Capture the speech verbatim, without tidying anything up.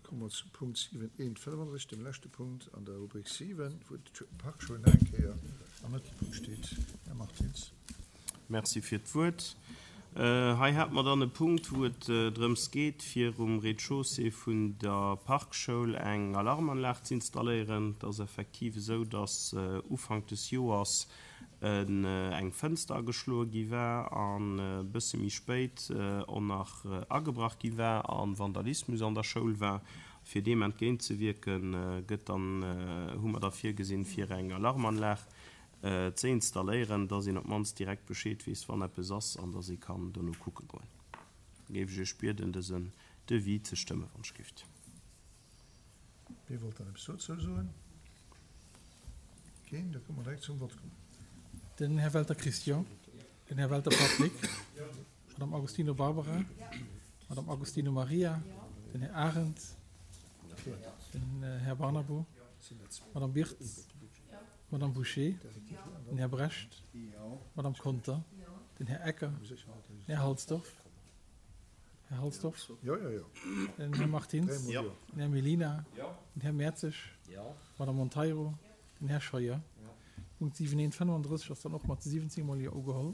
Komme mer zum Punkt siwen eent fënnefandrësseg, dem leschte Punkt an der Rubrik siwen, wou d'Parkschoul nach eng Kéier am Mëttelpunkt steet. Här Martins. Merci fir d'Wuert. Hei hate mer dann e Punkt, wou et drëms geet, fir um Rez-de-chaussée vun der Parkschoul eng Alarmanlag ze installéieren. Et ass effektiv esou, dass Ufank des Joers eng Fënster ageschloe gi war an e bësse méi spéit och nach agebrach gi war a Vandalismus an der Schoul war. Fir deem entgéintzewierken, gëtt dann, hu mer da virgesinn, fir eng Alarmanlag ze installéieren, dass een op d'mannst direkt Bescheed weess, wann eppes ass an dass ee kann dono kucke goen. Da géif ech Iech bieden, dësen Devis ze stëmmen, wann ech gift. Wie wollt dann eppes dozou soen? Keen? Da kënne mer direkt zum Vott kommen. Den Här Welter Christian. Den Här Welter Patrick. Madame Agostino Barbara. Madame Agostino Maria. Den Här Arendt. Den Här Barnabo. Madame Birtz. Madame Boucher. Den Här Brecht. Madame Conter. Den Här Ecker. Den Här Halsdorf. Här Halsdorf. Jo, jo, jo. Den Här Martins. Den Här Mellina. Den Här Mertzig. Madame Monteiro. Den Här Scheuer. Punkt siwen eent fënnefandrësseg ass dann och mat siwwenzéng mol Jo ugeholl.